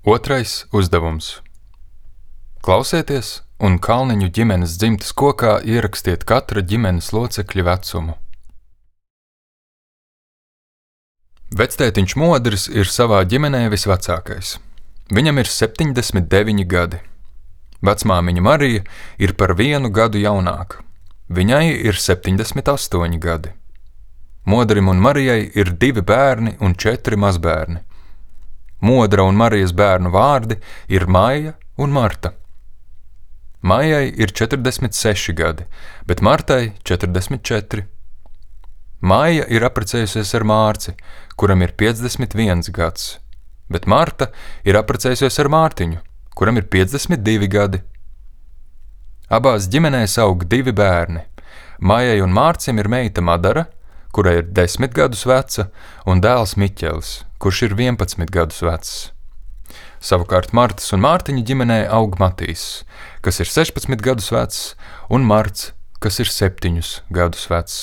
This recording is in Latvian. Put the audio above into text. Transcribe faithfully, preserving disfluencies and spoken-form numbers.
Otrais uzdevums. Klausieties un Kalniņu ģimenes dzimtes kokā ierakstiet katra ģimenes locekļa vecumu. Vectētiņš Modris ir savā ģimenē visvecākais. Viņam ir septiņdesmit deviņi gadi. Vecmāmiņa Marija ir par vienu gadu jaunāka. Viņai ir septiņdesmit astoņi gadi. Modrim un Marijai ir divi bērni un četri mazbērni. Modra un Marijas bērnu vārdi ir Maija un Marta. Maijai ir četrdesmit seši gadi, bet Martai četrdesmit četri. Maija ir apprecējusies ar Mārci, kuram ir piecdesmit viens gads, bet Marta ir apprecējusies ar Mārtiņu, kuram ir piecdesmit divi gadi. Abās ģimenēs aug divi bērni. Maijai un Mārcim ir meita Madara, kurai ir desmit gadus veca, un dēls Miķelis, kurš ir vienpadsmit gadus vecs. Savukārt Martas un Mārtiņa ģimenē aug Matīs, kas ir sešpadsmit gadus vecs, un Marts, kas ir septiņus gadus vecs.